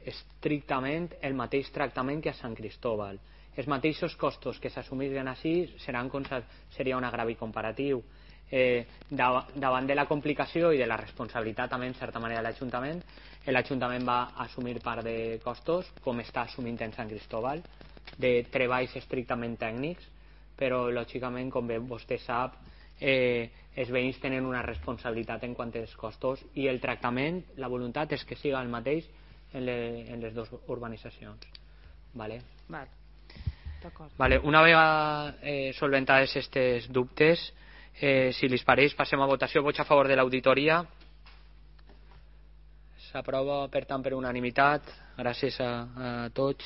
estrictament el mateix tractament que a Sant Cristóbal. Els mateixos costos que s'assumissin així seria un agravi comparatiu. Davant de la complicació i de la responsabilitat també en certa manera de l'Ajuntament va assumir part de costos, com està assumint en Sant Cristóbal, de treballs estrictament tècnics, però lògicament, com bé vostè sap, els veïns tenen una responsabilitat en quant als costos, i el tractament, la voluntat és que siga el mateix en les dues urbanitzacions. Vale. Una vegada solventades aquests dubtes, si li pareix, passem a votació. Vots a favor de l'auditoria. S'aprova, per tant, per unanimitat. Gràcies a tots.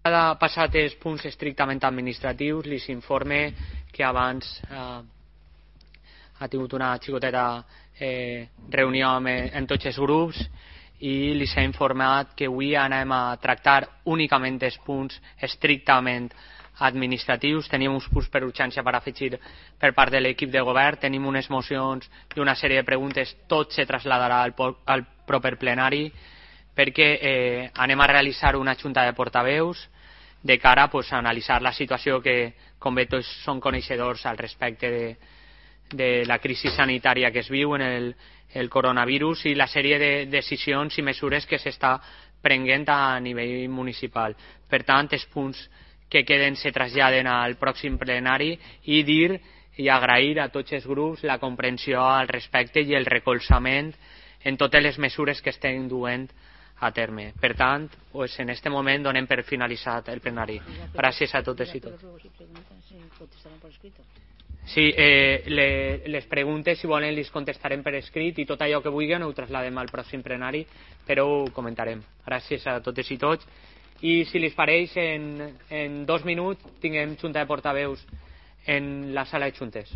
Passat els punts estrictament administratius, li informe que abans ha tingut una xicoteta reunió amb tots els grups i li s'ha informat que avui anem a tractar únicament els punts estrictament administratius. Tenim uns punts per urgència per afegir per part de l'equip de govern, tenim unes mocions i una sèrie de preguntes, tot se traslladarà al proper plenari, perquè anem a realitzar una junta de portaveus de cara a analitzar la situació que, com bé tots són coneixedors al respecte de la crisi sanitària que es viu en el coronavirus i la sèrie de decisions i mesures que s'està prenent a nivell municipal. Per tant, els punts que queden se traslladen al pròxim plenari i dir i agrair a tots els grups la comprensió al respecte i el recolzament en totes les mesures que estem duent a terme. Per tant, en aquest moment donem per finalitzat el plenari. Gràcies a totes i tots. Sí, les preguntes, si volen, les contestarem per escrit i tot allò que vulguin ho trasladem al pròxim plenari, però ho comentarem. Gràcies a totes i tots. I si les pareix, en 2 minuts tinguem junta de portaveus en la sala de juntes.